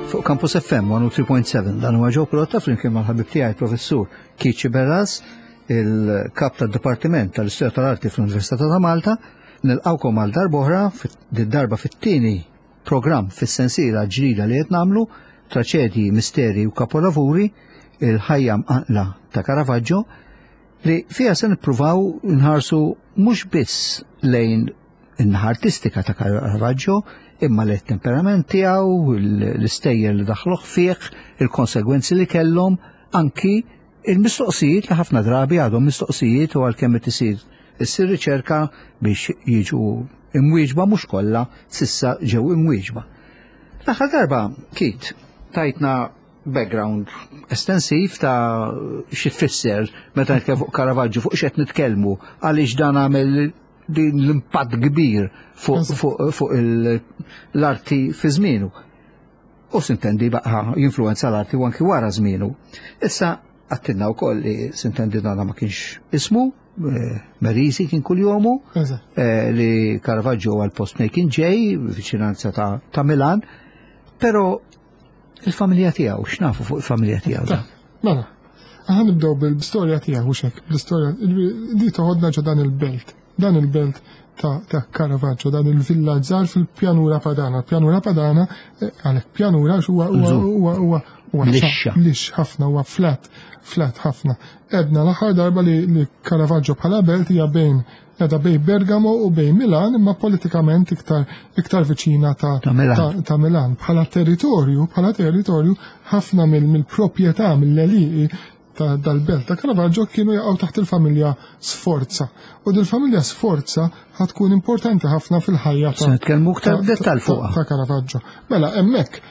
Fuq Campus FM 103.7 dan huwa ġew prodotta flimkien mal-ħabib tiegħi professur Kiċi Berras, il-kap tad-Dipartiment tal-Istorja tal-Arti fl-Università ta' Malta. Nilqawkom għal darb'oħra darba fit-tieni programm fis-sensiela ġdida li qed nagħmlu Traċedji, Misteri u Kapolavuri, il-ħajja mqanqla ta' Caravaggio, li fiha se nippruvaw nħarsu mhux biss lejn in-naħa artistika ta' Caravaggio, imma li temperament tiegħu, l-istejjer li daħluh fih, il-konsegwenzi li kellhom, anki il-mistoqsijiet li ħafna drabi għadhom mistoqsijiet u għalkemm qed isir issir riċerka biex jiġu imwieġba mhux kollha sissa ġew imwieġba. L-aħħar darba, Kit, tajtna background estensiv ta' xi tfisser meta nitkellmu fuq Caravaggio, fuq x'qed nitkellmu, għaliex dan għamel din l-impatt kbir fuq fu, fu l-arti fi żmienu. U sintendi baqa jinfluenza l-arti u anki wara żmienu. Issa għattinna wkoll li sintendi dana ma kienx ismu, eh, Merisi kien kull-jomu, eh, li Caravaggio għal post fejn kien ġej, viċinanza ta', ta Milan, pero Il-familja tiegħu, x'nafu fuq il-familja tiegħu? Mela, aħna nibdew bil-istorja tiegħu mhux hekk, bl-istorja li toħodna ġo dan il-belt. Dan il-belt ta', ta Caravaggio, dan il-villa żgħar fil-pjanura Padana. Pjanura Padana, eh, għalhekk pjanura huwa huwa huwa huwa lix ħafna huwa flat, flat ħafna. Edna l-aħħar darba li, li Caravaggio bħala belt hija bejn Qiegħda bejn Bergamo u bejn Milan imma politikament iktar iktar viċina ta', ta, Milan. Ta, ta Milan. Bħala territorju, bħala territorju ħafna mill-proprjetà mill-għelieqi ta' dal-belt ta' Caravaggio kienu jaqgħu taħt il-familja Sforza. U dil-familja Sforza ħatkun importanti ħafna fil-ħajja ta' nitkellmu iktar dettal fuqha. Ta' Caravaggio. Mela hemmhekk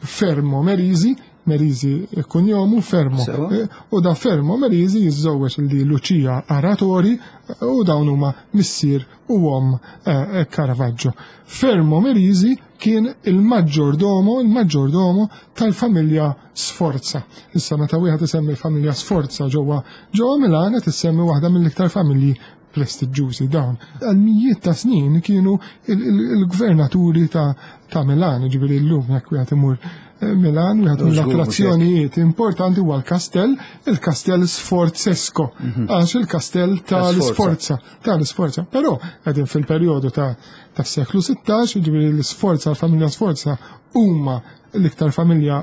Fermo Merisi, Merisi kunjomu Fermo. Eh, u da Fermo Merisi jiżżewweġ li Lucia Aratori eh, u dawn huma missier u om eh, Caravaggio. Fermo Merisi kien il-maġġordomo, il-maġġordomo tal-familja Sforza. Issa meta wieħed isemmi l-familja Sforza ġewwa ġewwa Milan qed issemmi waħda mill-iktar familji prestiġġużi dawn. Għal mijiet ta' snin kienu il-gvernaturi ta' Milan, ġifieri llum jekk wieħed imur eh, Milan, wieħed mill-attrazzjonijiet importanti huwa l-kastell, il-kastell Sforzesco, mhm. għax il-kastell tal-Sforza, tal-Sforza. Però qegħdin fil-perjodu ta' tas-seklu 16, ġifieri l-Sforza, l-familja Sforza huma l-iktar familja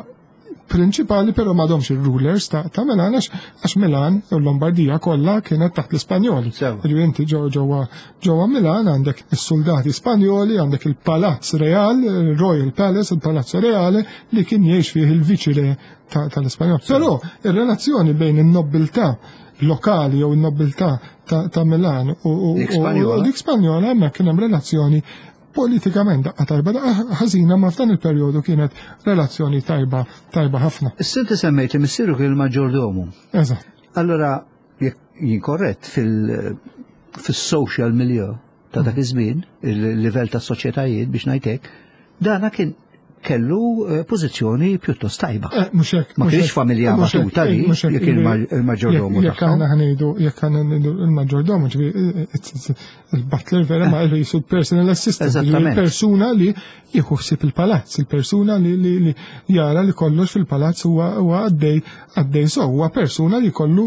prinċipali però m'għadhomx ir-rulers ta', ta Milan għax għax Milan u l-Lombardija kollha kienet taħt l-Ispanjoli. Ġifieri inti ġewwa ġewwa Milan għandek is-soldati Spanjoli, għandek il-Palazz Real, Royal Palace, il-Palazzo Reale li kien jgħix fih il-viċi tal-Ispanjol. Però ir-relazzjoni bejn in-nobiltà lokali jew in-nobiltà ta', ta Milan u dik Spanjola hemmhekk kien hemm relazzjoni Politikament daqqa tajba, daqqa ħażina ma f'dan il-perjodu kienet relazzjoni tajba tajba ħafna. Issa inti semmejt li missieru kien il-maġġordomu. Eżatt. Allora, jekk jien korrett fil-social milieu ta' dak iż-żmien, il-livell ta' soċjetajiet biex ngħid hekk, dana kien kellu eh, pożizzjoni pjuttost tajba. Eh, mhux hekk. Ma kienx familja batuta li jekk il-maġġordomu. Jekk aħna ħnejdu, jekk aħna ngħidu il-maġġordomu, ġifieri eh, il-butler vera ma jisu personal assistant. Il-persuna li jieħu ħsieb il-palazz, il-persuna li jara li kollox fil-palazz huwa għaddej għaddej so, huwa persuna li kollu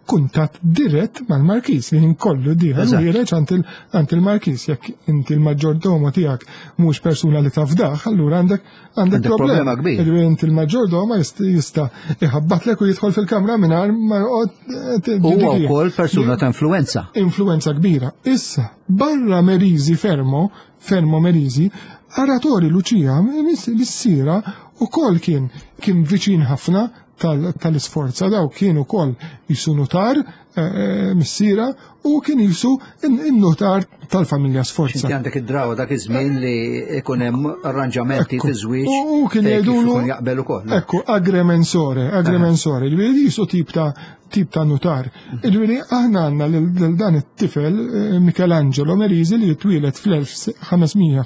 kuntatt dirett mal-markiż li kollu dieħel u ħiereġ għand il-markiż jekk inti l-maġġordomo tiegħek mhux persuna li tafdaħ, allura għandek għandek problema kbir. Inti l-maġġordoma jista' iħabbatlek u jidħol fil-kamra mingħajr ma joqgħod eh, Huwa wkoll persuna ta' influenza. Influenza kbira. Issa, barra Merizi Fermo, Fermo Merizi, Aratori Lucia missiera ukoll kien kien viċin ħafna tal-isforza daw kien ukoll jisu notar eh, eh, missiera u kien jisu in-notar tal-familja Sforza. Inti għandek id-drawa dak iż-żmien li ikun hemm arranġamenti fi żwieġ. U kien jgħidulu jaqbel ukoll. Ekku, aggremensore, aggremensore, ġifieri jisu tip ta' tip ta' notar. Mhm. Ġifieri aħna għandna lil dan it-tifel eh, Michelangelo Merisi li jitwielet fl-1571,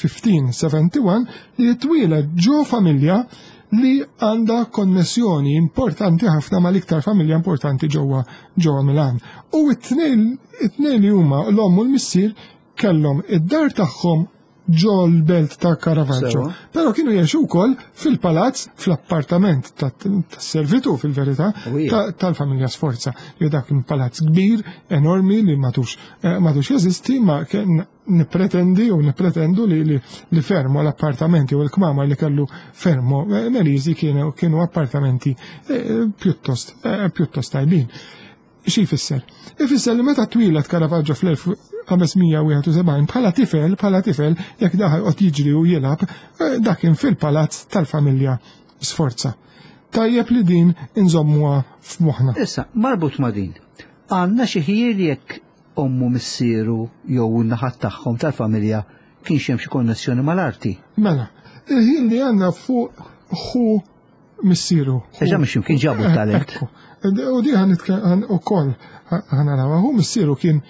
1571, li jitwielet ġo familja li għandha konnessjoni importanti ħafna mal-iktar familja importanti ġewwa ġewwa Milan. U it-tnejn it-tnejn li huma l-omm u l-missier kellhom id-dar tagħhom ġo l-belt ta' Caravaggio. Però kienu jgħixu wkoll fil-palazz, fl-appartament tas-servitu fil-verità tal-familja Sforza. Li dak kien palazz kbir, enormi li matux eh, matux jeżisti, ma kien nippretendi u nippretendu li, li, li fermo l-appartamenti u l-kmamar li kellu fermo eh, Merisi kienu, kienu appartamenti eh, pjuttost, pjuttost tajbin. Xi jfisser? Ifisser li meta twieled Caravaggio fl-1571 bħala tifel, bħala tifel, jekk daħal qed jiġri u jilgħab, eh, dak kien fil-palazz tal-familja Sforza. Tajjeb li din inżommuha f'moħħna. Issa, marbut ma' din, għandna xi ħjiel jekk ommu missieru jew in-naħat tagħhom tal-familja kienx hemm xi konnessjoni mal-arti. Mela, il-ħin li għandna fuq ħu missieru. Eġa mhux kien ġabu eh, talent. U di għan ukoll ħanaraw, hu missieru kien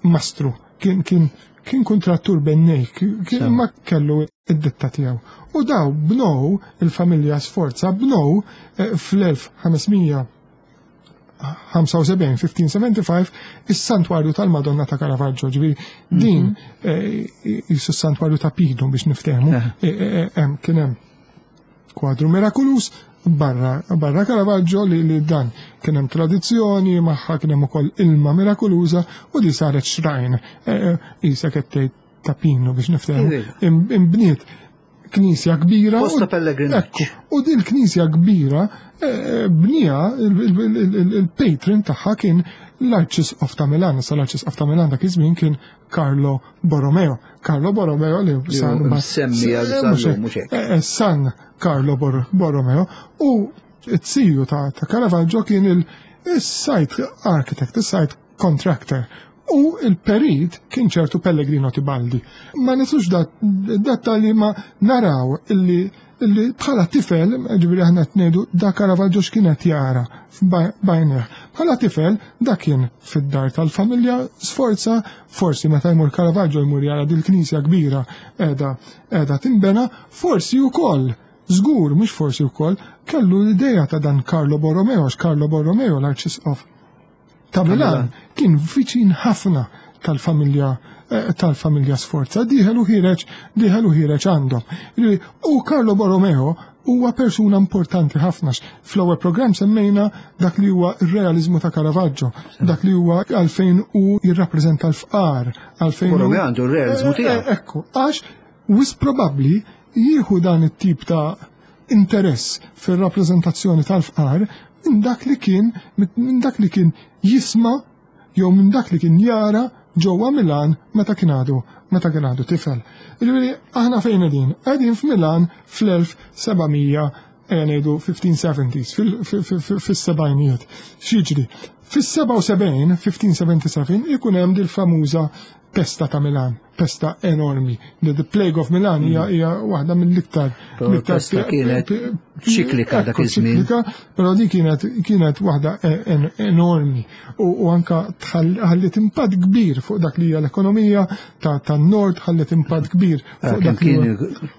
mastru, kien kien kien kontrattur bennej, kien ma kellu id-ditta tiegħu. U daw bnow il-familja Sforza bnow eh, fl-1500 75, 1575, is-santwarju tal-Madonna ta' Caravaggio, ġifieri din mhm. eh, jisu s-santwarju ta' Pinu biex niftehmu, kien hemm Kwadru mirakulus barra, barra Caravaggio li, li dan kien hemm tradizzjoni magħha kien hemm ukoll ilma mirakuluża u di saret xrajn e, e, isa qed tgħid ta' Pinu biex niftehmu. Imbniet knisja kbira. Posta pellegrinaġġ. U din knisja kbira e, bnija il-patron tagħha kien l-Arċisqof ta' Milan, sa l-Arċisqof ta' Milan dak iż-żmien kien Carlo Borromeo. Carlo Borromeo li san semmi għal eh, eh, San Carlo Borromeo u t-siju ta' Caravaggio kien il-site architect, il-site contractor u il-perit kien ċertu Pellegrino Tibaldi. Ma nitux dettalji ma naraw illi Illi bħala tifel, ġifieri aħna qed ngħidu da Caravaggio x'kien qed jara b'għajnejh. Bħala tifel da kien fid-dar tal-familja Sforza, forsi meta jmur Caravaggio jmur jara dil-knisja kbira qiegħda qiegħda tinbena, forsi wkoll żgur mhux forsi wkoll kellu l-idea ta' dan Carlo Borromeo, għax Carlo Borromeo l-Arċisqof ta' Milan kien viċin ħafna tal-familja eh, tal-familja Sforza, diħel u ħireġ, diħel u ħireġ għandhom. U Carlo Borromeo huwa persuna importanti ħafna. Fl-ewwel programm semmejna dak li huwa r-realizmu ta' Caravaggio, dak li huwa għalfejn u jirrappreżenta l-fqar, għalfejn. Borromeo għandu r-realizmu eh, tiegħu. Eh, ekku, għax wis probabbli jieħu dan it-tip ta' interess fir-rappreżentazzjoni tal-fqar minn dak li kien minn dak li kien jisma' jew minn dak li kien jara ġewwa Milan meta kien għadu meta kien għadu tifel. Jiġifieri aħna fejn qegħdin? Qegħdin f'Milan fl-1700 ejja ngħidu 1570s, fis-sebgħinijiet. X'jiġri? Fis-77, 1577, ikun hemm dil-famuża pesta ta' Milan, pesta enormi. The Plague of Milan hija mm. hija waħda mill-iktar. Pesta kienet ċiklika dak iż-żmien. Però di kienet kienet waħda e, enormi u anka ħalliet impatt kbir fuq dak li hija l-ekonomija tan-nord, ħalliet impatt kbir eh, fuq dak li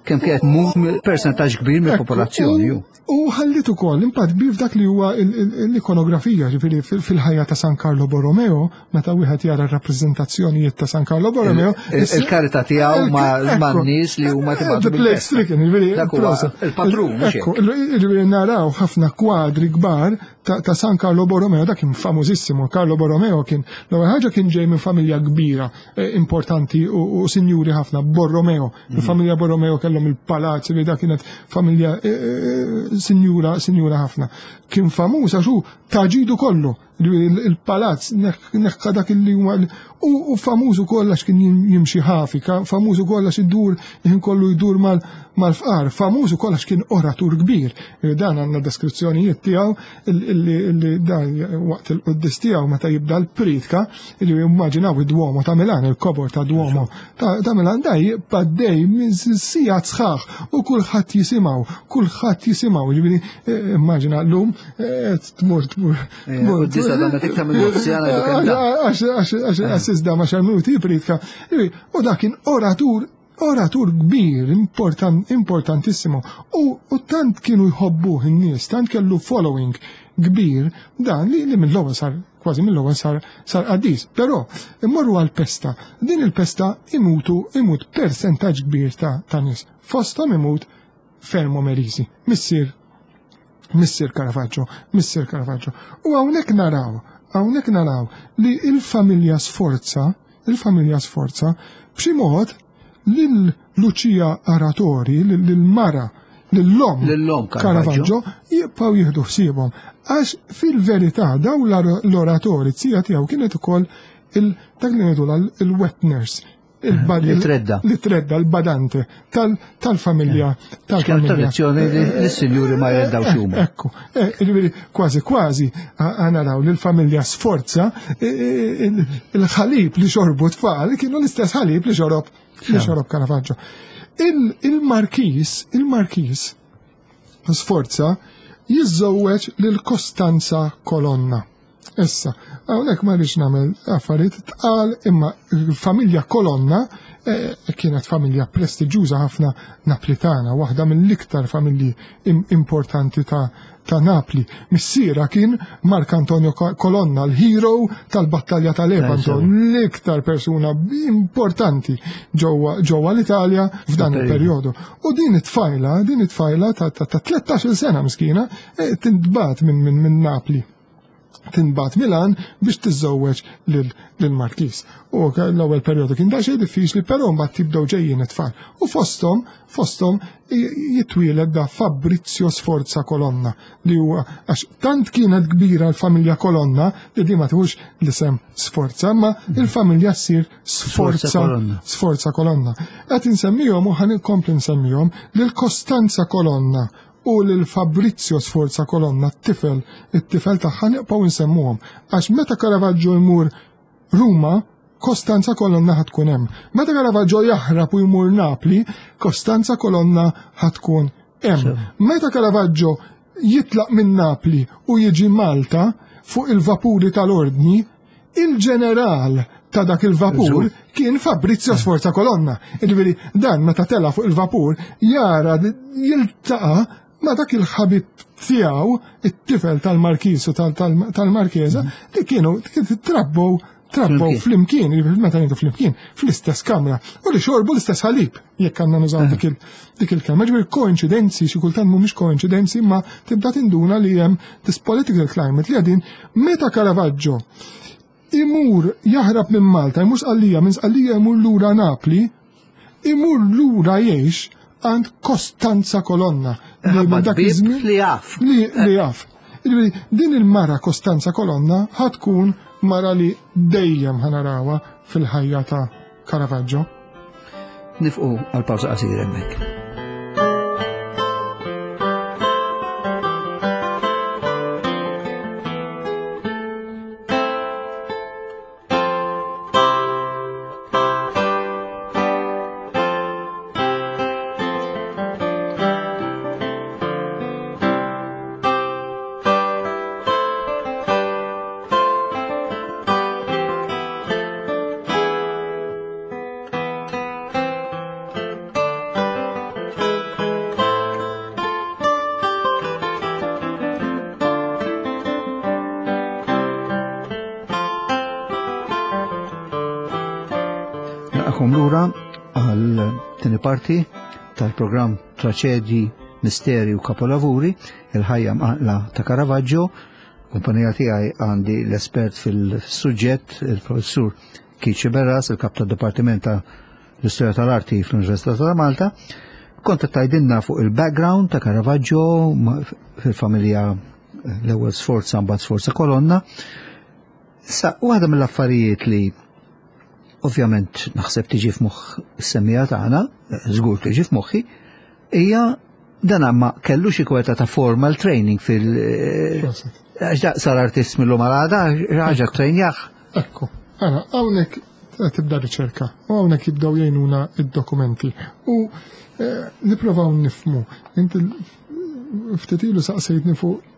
kemm kienet mum persentaġġ kbir mill-popolazzjoni. U ħalliet ukoll impatt kbir f'dak li huwa l-ikonografija, ġifieri fil-ħajja ta' San Carlo Borromeo, meta wieħed jara r-rappreżentazzjonijiet ta' San Carlo Borromeo. Il-karità tiegħu ma' nies li huma tibgħatu. The plague stricken, ġifieri. Il-patrun, Ġifieri naraw ħafna kwadri kbar ta' San Carlo Borromeo, dak kien famużissimu. Carlo Borromeo kien l-ewwel ħaġa kien ġej minn familja kbira eh, importanti u sinjuri ħafna, Borromeo. Mhm. Il-familja Borromeo kellhom il-palazz li dak kienet familja eh, eh, sinjura, sinjura ħafna. Kien famuż għax hu taġidu kollu il-palazz neħħa dak li huma u famuż ukoll għax kien jimxi ħafi, famuż ukoll għax idur ħin kollu jdur mal-fqar, famuż ukoll għax kien oratur kbir. Eh, dan għandna deskrizzjonijiet tiegħu illi dan waqt il-quddis tiegħu meta jibda l-pritka illi immaġinaw id-Duomo ta' Milan, il-kobor ta' Duomo ta' Milan da jibqa' dej minn sigħat sħaħ u kulħadd jisimgħu, kulħadd jisimgħu, ġifieri eh, immaġina llum eh, tmur tmur. Quddis għadha meta iktar minn Għax iżda ma xar minuti pritka. U dak kien oratur. Oratur kbir, important, importantissimo. U, u tant kienu jħobbuh in-nies, tant kellu following kbir, dan li, li mill-ewwel sar kważi mill-ewwel sar sar qaddis. Però immorru għall-pesta. Din il-pesta imutu imut persentaġġ kbir ta', ta' nies. Fosthom imut Fermo Merisi, missier missier Caravaggio, missier Caravaggio. U hawnhekk naraw, hawnhekk naraw li il-familja Sforza, il-familja Sforza, b'xi mod lil Lucia Aratori, lil mara, lill-om Lill-om Caravaggio jibqgħu jieħdu ħsiebhom. Għax fil-verità daw l-oratori zija tiegħu kienet ukoll dak li ngħidu il-wet nurse, Li tredda. Li tredda, l-badante tal-familja. Tal-familja. Tradizzjoni li s-sinjuri ma jreddaw xuma. Ekku, eh, jiġifieri kważi kważi naraw li l-familja sforza eh, eh, il-ħalib li xorbu tfal kienu l-istess ħalib li xorob li xorob Caravaggio. Il-markis, il-markis sforza jiżżewweġ lil Kostanza Kolonna. Issa, hawnhekk ma rridx nagħmel affarijiet tqal imma l-familja Kolonna eh, kienet familja prestiġjuża ħafna Naplitana, waħda mill-iktar familji importanti ta' ta' Napli. Missiera kien Mark Antonio Colonna, l-hero tal-battalja ta' Lepanto, l-iktar persuna importanti ġewwa l-Italja f'dan il-perjodu. U din it-tfajla, din it-tfajla ta' 13 sena miskina, eh, tintbat minn Napli tinbat Milan biex tiżżewweġ lill-Markiż. U l-ewwel perjodu kien daqsxejn diffiċli, però mbagħad tibdew ġejjin it-tfal. U fosthom, fosthom jitwieled da Fabrizio Sforza Colonna li huwa għax tant kienet kbira l-familja Colonna li di ma tħux l-isem Sforza, ma il-familja ssir Sforza Sforza Colonna. Qed insemmihom u ħan inkompli nsemmihom lil Costanza Colonna u lil Fabrizio Sforza Colonna, t-tifel, it-tifel tagħha nibqgħu nsemmuhom. Għax meta Caravaggio jmur Ruma, Costanza Colonna ħa tkun hemm. Meta Caravaggio jaħrab u jmur Napli, Costanza Colonna ħa tkun hemm. Meta Caravaggio jitlaq minn Napli u jiġi Malta fuq il-vapuri tal-ordni, Il-ġeneral ta' dak il-vapur kien Fabrizio Sforza Colonna. Ġifieri dan meta tela fuq il-vapur jara jiltaqa' ma' dak il-ħabib tiegħu, it-tifel tal-Markiż u tal-Markeza, li kienu trabbow trabbow flimkien, meta ngħidu flimkien, fl-istess kamra, u li xorbu l-istess ħalib, jekk għandna nużaw dik il-kelma. Ġifieri koinċidenzi, xi kultant mhumiex koinċidenzi, ma tibda tinduna li hemm this political climate li għadin meta Caravaggio imur jaħrab minn Malta, imur Sqallija, minn Sqallija imur lura Napli, imur lura jgħix għand Costanza Colonna. Li dak iż-żmien li jaf. Li jaf. Din il-mara Costanza Colonna ħatkun mara li dejjem ħanarawha fil-ħajja ta' Caravaggio. Nifqu għal pawża qasira hemmhekk. Naqakom lura għal tini parti tal-programm Traċedji, Misteri u Kapolavuri, il-ħajja mqanqla ta' Caravaggio. Kumpanija tiegħi għandi l-espert fil-suġġett, il-professur Keith Sciberras, il-kap tad-Dipartiment ta' l-Istorja tal-Arti fl-Università ta' Malta. Kont qed tgħidilna fuq il-background ta' Caravaggio fil-familja l-ewwel Sforza mbagħad Sforza Colonna. Issa, waħda mill-affarijiet li ovvjament naħseb tiġi f'moħħ is-semmija tagħna, żgur tiġi f'moħħi, hija dan ma kellu xi kweta ta' formal training fil- Għax daq sar artist mill-lum għal għada, ħaġa trejnjah. Ekku, ara, hawnhekk tibda riċerka u hawnhekk jibdew jgħinuna id-dokumenti u eh, nipprovaw nifmu. Inti ftit ilu saqsejtni fuq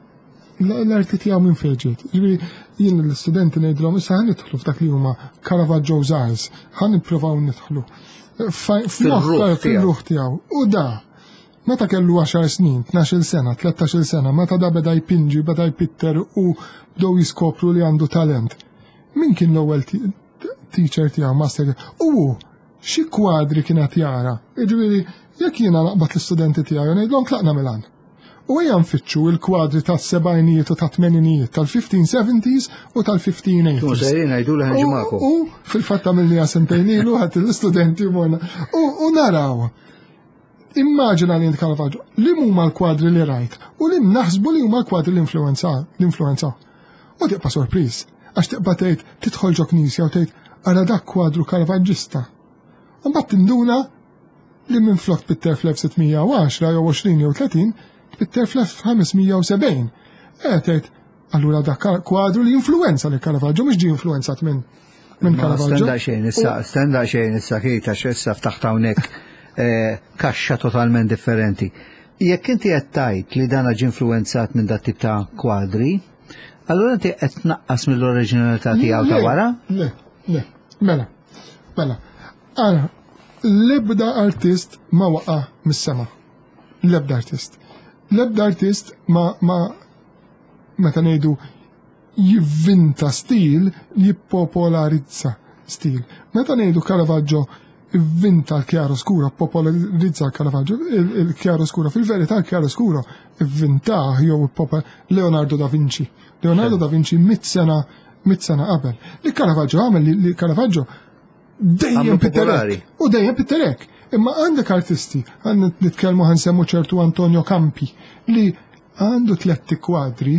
l-arti tiegħu minn fejn ġiet. Ġifieri jien l-istudenti ngħidilhom issa ħa nidħlu f'dak li huma Caravaggio's Eyes, ħa nippruvaw nidħlu. Fil-ruħ tiegħu. U da, meta kellu 10 snin, 12 sena, 13 sena, meta da beda jpinġi, beda jpitter u bdew jiskopru li għandu talent. Min kien l-ewwel teacher tiegħu, master U xi kwadri kien qed jara. Jiġifieri, jekk jiena naqbad l-istudenti tiegħi u ngħidlhom tlaqna Milan. U ejja nfittxu il-kwadri tas-sebgħinijiet u tat-tmeninijiet, tal-1570s u tal-1580s. Tkunu sejrin ngħidu li ħanġi magħkom. U fil-fatt għamilniha sentejn ilu ħadd l-istudenti morna. U naraw. Immaġina li int Caravaggio, li huma l-kwadri li rajt u li naħsbu li huma l-kwadri li influenza, l-influenza. U tibqa' sorpriż, għax tibqa' tgħid tidħol ġo knisja u tgħid ara dak kwadru Caravaggista. U mbagħad tinduna li minflok tpitter fl-1610 jew 20 jew 30, tpitter fl-1570. E tgħid allura dak kwadru li influenza li Caravaggio mhux ġie influenzat minn minn Caravaggio. Stenda xejn issa, stenda xejn issa kejta x'issa ftaħt hawnhekk eh, kaxxa totalment differenti. Jekk inti qed tgħid li dan ġie influenzat minn dat tip ta' kwadri, allura inti qed tnaqqas mill-oriġinalità tiegħu ta' wara? Le, le, mela, mela. Ara, l-ebda artist ma waqa' mis-sema. L-ebda artist. L-ebda artist ma, ma meta ngħidu jivvinta stil, jippopolarizza stil. Meta ngħidu Caravaggio ivvinta l-chiaroscuro, popolarizza l-Caravaggio, il-chiaroscuro, fil-verità l-chiaroscuro ivvintah jew Leonardo da Vinci. Leonardo da Vinci mit sena mit sena qabel. Li Caravaggio għamel li Caravaggio dejjem pitterek. U dejjem pitterek. Imma għandek artisti, għandna nitkellmu ħansemmu ċertu Antonio Campi li għandu tletti kwadri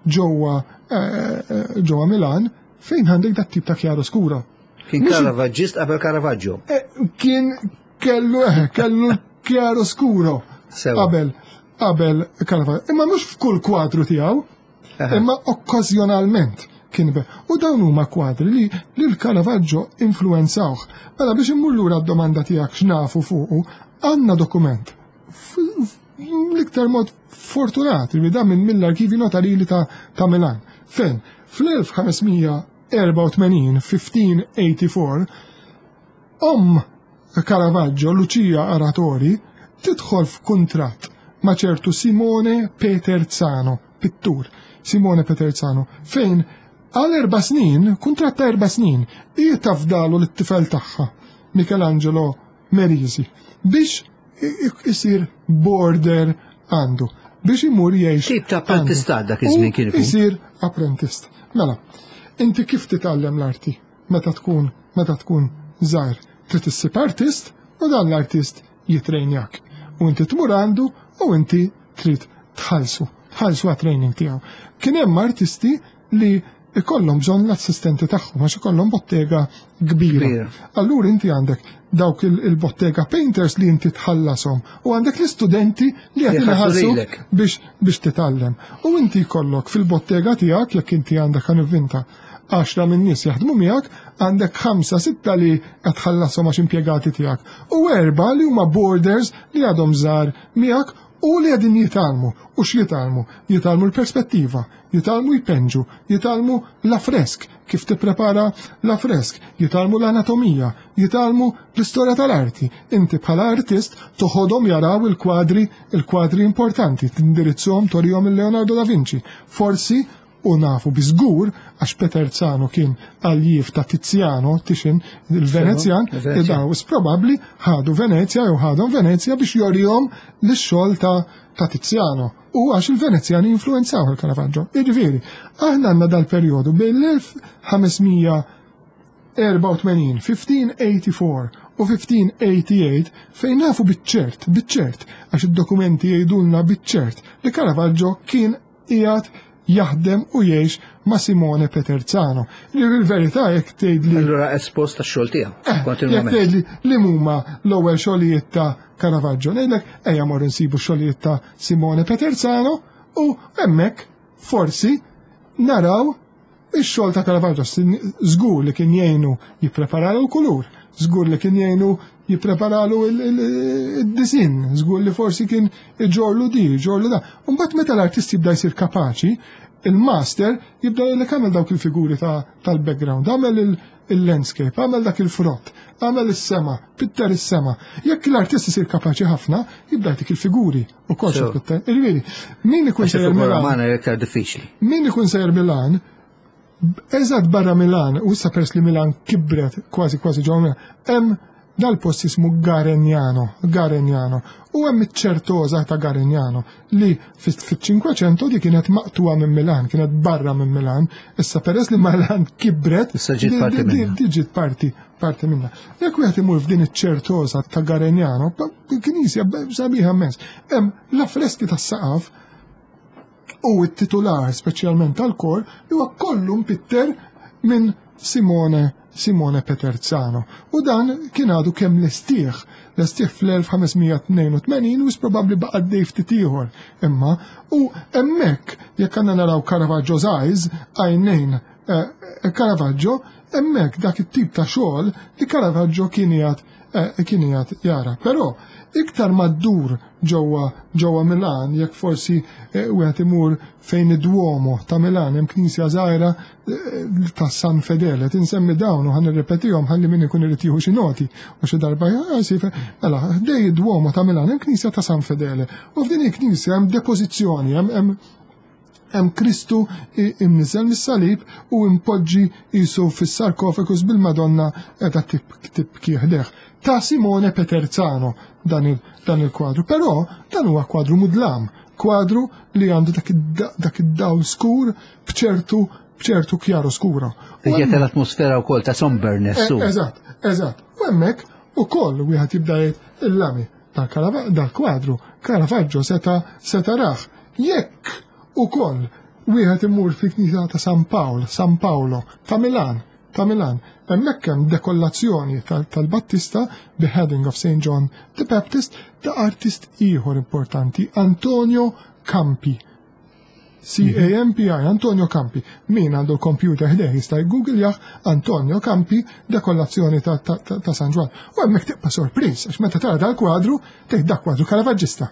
ġewwa eh, eh, ġewwa Milan fejn għandek dat tip ta' chiaroscuro. Kien Caravaggist qabel Caravaggio. Eh, kien kellu kellu chiaroscuro qabel qabel Caravaggio. Imma mhux f'kull kwadru tiegħu, imma okkażjonalment kien be. U dawn huma kwadri li lil Caravaggio influenzawh. Mela biex immur lura d-domanda tiegħek x'nafu fuqu, għandna dokument l-iktar mod fortunat li da minn mill-arkivi notarili ta', ta Milan. Fejn fl-1584, 1584, Omm Caravaggio, Lucia Aratori, tidħol f'kuntratt ma' ċertu Simone Peterzano, pittur, Simone Peterzano, fejn għal erba' snin, kuntratt ta' erba' snin, hi tafdalu lit-tifel tagħha, Michelangelo Merisi, biex isir border għandu, biex imur jgħix. Tip ta' apprentistat dak iż-żmien kien ikun. Isir apprentist. Mela, inti kif titgħallem l-arti? Meta tkun meta tkun żgħir trid issib artist u dan l-artist jitrejnjak. U inti tmur għandu u inti trid tħallsu, tħallsu għat-training tiegħu. Kien hemm artisti li ikollhom bżonn l-assistenti tagħhom għax ikollhom bottega kbira. Allura inti għandek dawk il-bottega painters li inti tħallasom u għandek l-istudenti li qed iħallsu biex biex titgħallem. U inti jkollok fil-bottega tiegħek jekk inti għandek ħanivvinta għaxra minn nies jaħdmu miegħek, għandek ħamsa sitta li qed tħallasom għax impjegati tiegħek u erba' li huma borders li għadhom żgħar miegħek u li qegħdin jitgħallmu. U x'jitgħallmu? Jitgħallmu l-perspettiva, jitgħallmu jpenġu, jitgħallmu l-affresk, kif tipprepara l-affresk, jitgħallmu l-anatomija, jitgħallmu l-istorja tal-arti. Inti bħala artist toħodhom jaraw il-kwadri, il-kwadri importanti, tindirizzhom torihom il-Leonardo da Vinci. Forsi U nafu bi żgur, għax Peterzano kien aljiv ta' Tiziano, Titian, il-Venezjan, daw probabbli ħadu Venezja jew ħadhom Venezja biex jorihom l-xogħol ta' ta' Tiziano. U għax il-Venezjani influenzaw il-Caravaggio. Jiġifieri, aħna għandna dal-perjodu bejn l-1584, 1584 u 1588 fejn nafu biċ-ċert, biċ-ċert, għax id-dokumenti jgħidulna biċ-ċert li Caravaggio kien qiegħed jaħdem u jgħix ma' Simone Peterzano. Li fil-verità jekk tgħidli. Allura espost tax-xogħol tiegħu. Eh, jekk tgħidli li huma l-ewwel xogħlijiet ta' Caravaggio, ngħidlek ejja mor insibu xogħlijiet ta' Simone Peterzano u hemmhekk forsi naraw Ix-xogħol ta' Caravaggio żgur li kien jgħinu jippreparalu l-kulur, żgur li kien jgħinu jippreparalu id-disinn, żgur li forsi kien iġorlu di, iġorlu da. Mbagħad meta l-artist jibda jsir kapaċi, il-master jibda jgħidlek għamel dawk il-figuri tal-background, għamel il-landscape, għamel dak il-frott, għamel is-sema, pitter is-sema. Jekk l-artist isir kapaċi ħafna, jibda jtik il-figuri u kollox pitter. Ġifieri, min ikun sejjer Milan. iktar diffiċli. Min ikun sejjer Milan, eżatt barra Milan, u issa pers li Milan kibret kważi kważi ġewwa Milan, hemm Dal-post jismu Garegnano, Garegnano, u hemm iċ-ċertoża ta' Garegnano li fit-500 di kienet maqtuha minn Milan, kienet barra minn Milan, issa peress li Milan kibret, issa ġiet parti minnha. Ġiet parti parti minna. Jekk wieħed imur f'din iċ-ċertoża ta' Garegnano, knisja sabiħa immens, hemm l-affreski tas-saqaf u t-titular speċjalment tal-kor li huwa kollu mpitter minn Simone Simone Peterzano. U dan kien għadu kemm lestih, lestih fl-1582 u probabbli baqa' għaddej ftit ieħor. Imma u hemmhekk jekk għandna naraw Caravaggio's eyes, għajnejn eh, Caravaggio, hemmhekk dak it-tip ta' xogħol li Caravaggio kien jgħid eh, kien jgħid jara. Però iktar ma ddur ġewwa ġewwa Milan, jekk forsi eh, wieħed imur fejn id-Duomo ta' Milan hemm knisja żgħira eh, ta' San Fedele, tinsemmi dawn u ħan nirrepetihom ħalli min ikun irid jieħu xi noti u xi darba jasif, mela ħdej id-Duomo ta' Milan hemm knisja ta' San Fedele. U f'din il-knisja hemm depożizzjoni, hemm hemm Kristu imniżel mis-salib u impoġġi jisu fis-sarkofagus bil-Madonna qiegħda tibki ħdejh. Ta' Simone Peterzano dan il-kwadru. Però dan huwa kwadru mudlam, kwadru li għandu dak id-dawl skur b'ċertu b'ċertu kjaro skura. Jgħet l-atmosfera wkoll ta' somberness. Eh, eżatt, eżatt. U hemmhekk ukoll wieħed jibda jgħid il-lami dal-kwadru Caravaggio seta seta raħ. Jekk ukoll wieħed imur fil-Knisja ta' San Pawl, San Paolo, ta' Milan, ta' Milan, hemmhekk hemm dekollazzjoni tal-Battista, Beheading of St. John the Baptist, ta' artist ieħor importanti, Antonio Campi. C-A-M-P-I, Antonio Campi. Min għandu l-computer ħdejh jista' jgoogle Antonio Campi dekollazzjoni ta', ta, ta, ta San Ġwann. U hemmhekk tibqa' sorpriż għax meta tara dal-kwadru tgħid dak kwadru Caravaggista.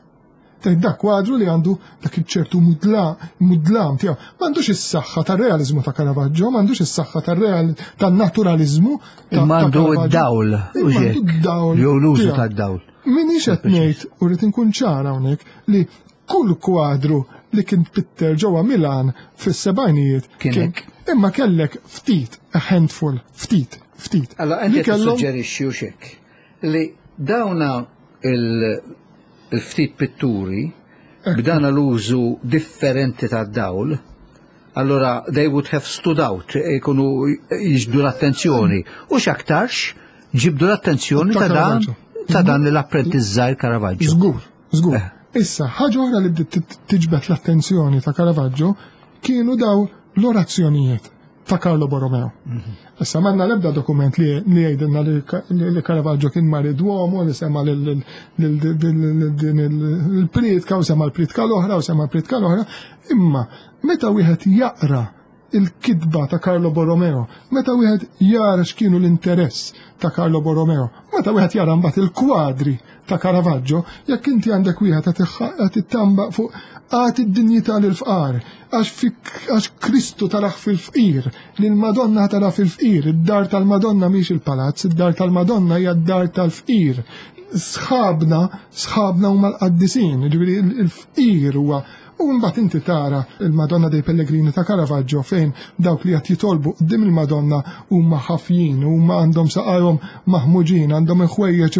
Tgħid dak kwadru li għandu dak iċ-ċertu mudlam tiegħu. M'għandux is-saħħa tar-realiżmu ta' Caravaggio, m'għandux is-saħħa tar-real tan-naturaliżmu. Imma għandu d-dawl. Għandu d-dawl. Jew l-użu tad-dawl. Minix qed ngħid u rrid inkun ċara hawnhekk li kull kwadru li kien pitter ġewwa Milan fis-sebgħinijiet kien imma kellek ftit, a handful, ftit, ftit. Allora inti tissuġġerixxi u xek li dawna il-ftit pitturi b'dana l-użu differenti tad-dawl, allora they would have stood out, ikunu jiġbdu l-attenzjoni. U x'aktarx ġibdu l-attenzjoni ta' dan ta' dan l-apprentiz żgħir Caravaggio. Żgur, żgur. Eh. Issa, ħaġa oħra li bdiet tiġbed l-attenzjoni ta' Caravaggio kienu daw l-orazzjonijiet ta' Carlo Borromeo. Mhm. Issa manna l-ebda dokument li jgħidilna li Caravaggio kien mar id-Duomo li sema din il-pritka u sema l-pritka l-oħra u sema l-pritka l-oħra, imma meta wieħed jaqra il-kitba ta' Carlo Borromeo, meta wieħed jara x'kienu l-interess ta' Carlo Borromeo, meta wieħed jara mbagħad il-kwadri ta' Caravaggio, jekk inti għandek wieħed qed ittamba fuq għati d-dinjità lill-fqar, għax Kristu taraħ fil-fqir, li l-Madonna tara fil-fqir, id-dar tal-Madonna mhix il-palazz, id-dar tal-Madonna hija d-dar tal-fqir. Sħabna, sħabna huma l-qaddisin, ġifieri il-fqir huwa U mbagħad inti tara il-Madonna dei Pellegrini ta' Caravaggio fejn dawk li qed jitolbu qudiem il-Madonna huma ħafjin, huma għandhom saqajhom maħmuġin, għandhom il-ħwejjeġ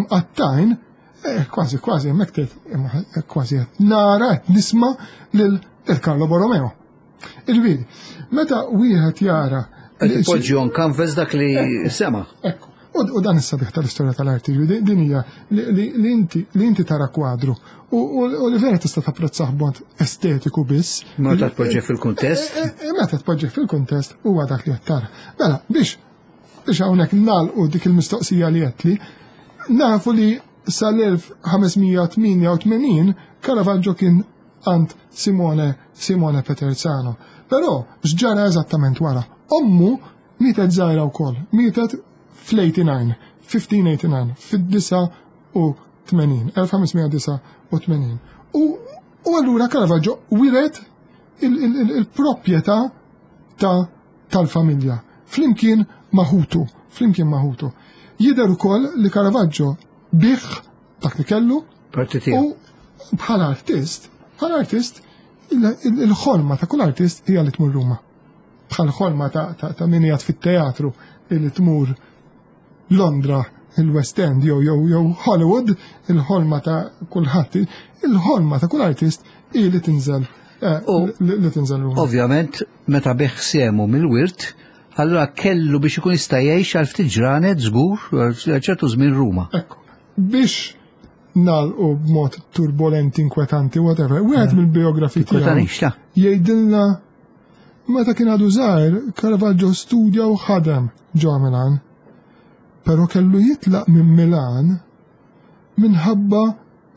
imqattajn, eh, kważi kważi hemmhekk tgħid kważi qed nara qed nisma' lil Carlo Borromeo. Ġifieri, meta wieħed jara Poġġi on canvas dak li sema. Ekku. U dan is-sabiħ tal-istorja tal-arti, din hija li inti tara kwadru u li vera tista' tapprezzah b'mod estetiku biss. Meta tpoġġi fil-kuntest. E, e, e, meta tpoġġi fil-kuntest huwa dak li qed tara. Mela, biex biex hawnhekk nagħlqu dik il-mistoqsija li qed li nafu li sal-1588 Caravaggio kien għand Simone Simone Peterzano. Però x'ġara eżattament wara? Ommu Mietet żgħira wkoll, mietet fl-89, 1589, fid-89, 1589. U, u allura Caravaggio wiret il-proprjetà ta' tal-familja flimkien ma' ħutu, flimkien ma' ħutu. Jidher ukoll li Caravaggio biegħ dak li kellu u bħala artist, bħala artist il-ħolma ta' kull artist hija li tmur Ruma. Bħal ħolma ta' min qiegħed fit-teatru li tmur Londra, il-West End jew jew jew Hollywood, il-ħolma ta' kulħadd, il-ħolma ta' kull artist hi li tinżel eh, li tinżel Ruma. Ovvjament, meta biegħ sehmu mill-wirt, allura kellu biex ikun jista' jgħix għal ftit ġranet żgur għal ċertu żmien Ruma. Ekku. Biex nagħlqu b'mod turbolenti, inkwetanti, whatever, wieħed eh. mill-biografi tiegħu jgħidilna meta kien għadu żgħir, Caravaggio studja u ħadem ġo Milan. Però kellu jitlaq minn Milan minħabba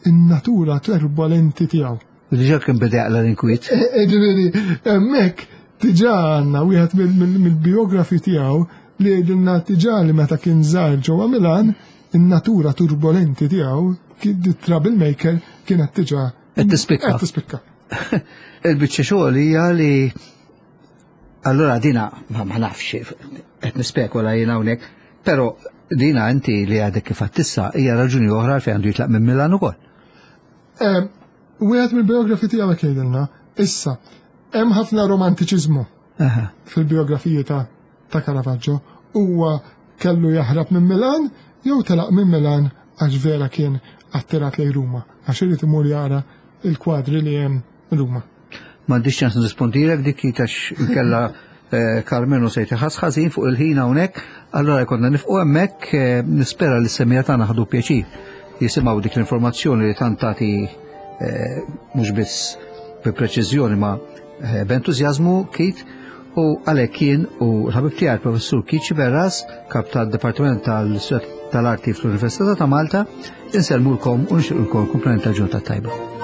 in-natura turbolenti tiegħu. Diġà kien beda jaqla l-inkwiet. E, e, ġifieri, hemmhekk diġà għandna wieħed mill-biografi tiegħu li jgħidilna diġà li meta kien żgħir ġewwa Milan, in-natura turbolenti tiegħu, troublemaker, kienet diġà qed tispikka. Qed tispikka. Il-biċċa xogħol hija li allura dina ma nafx qed nispekula jien hawnhekk, però dina inti li għadek kif għattissa hija raġuni oħra fejn għandu jitlaq minn Milan ukoll. Wieħed mill-biografi tiegħu hekk jgħidilna, issa, hemm ħafna romantiċiżmu fil-biografiji ta' ta' Caravaggio. Huwa kellu jaħrab minn Milan jew telaq minn Milan għax vera kien attirat lejn Ruma, għax irid imur jara il-kwadri li hemm Ruma. M'għandix ċans nirrispondilek dik għax inkella eh, Carmenu se jtiħas ħażin fuq il-ħin hawnhekk, allura jkollna nifqu hemmhekk eh, nispera li s-semija tagħna ħadu pjaċir jisimgħu dik l-informazzjoni li tant tagħti eh, mhux biss bi preċiżjoni ma b'entużjażmu Keith u għalhekk jien u l-ħabib tiegħi professur Keith Sciberras, kap tad-Dipartiment tal-Arti fl-Università ta' Malta, insellmulkom u nixtiequlkom kumplament ta' ġurnata tajba.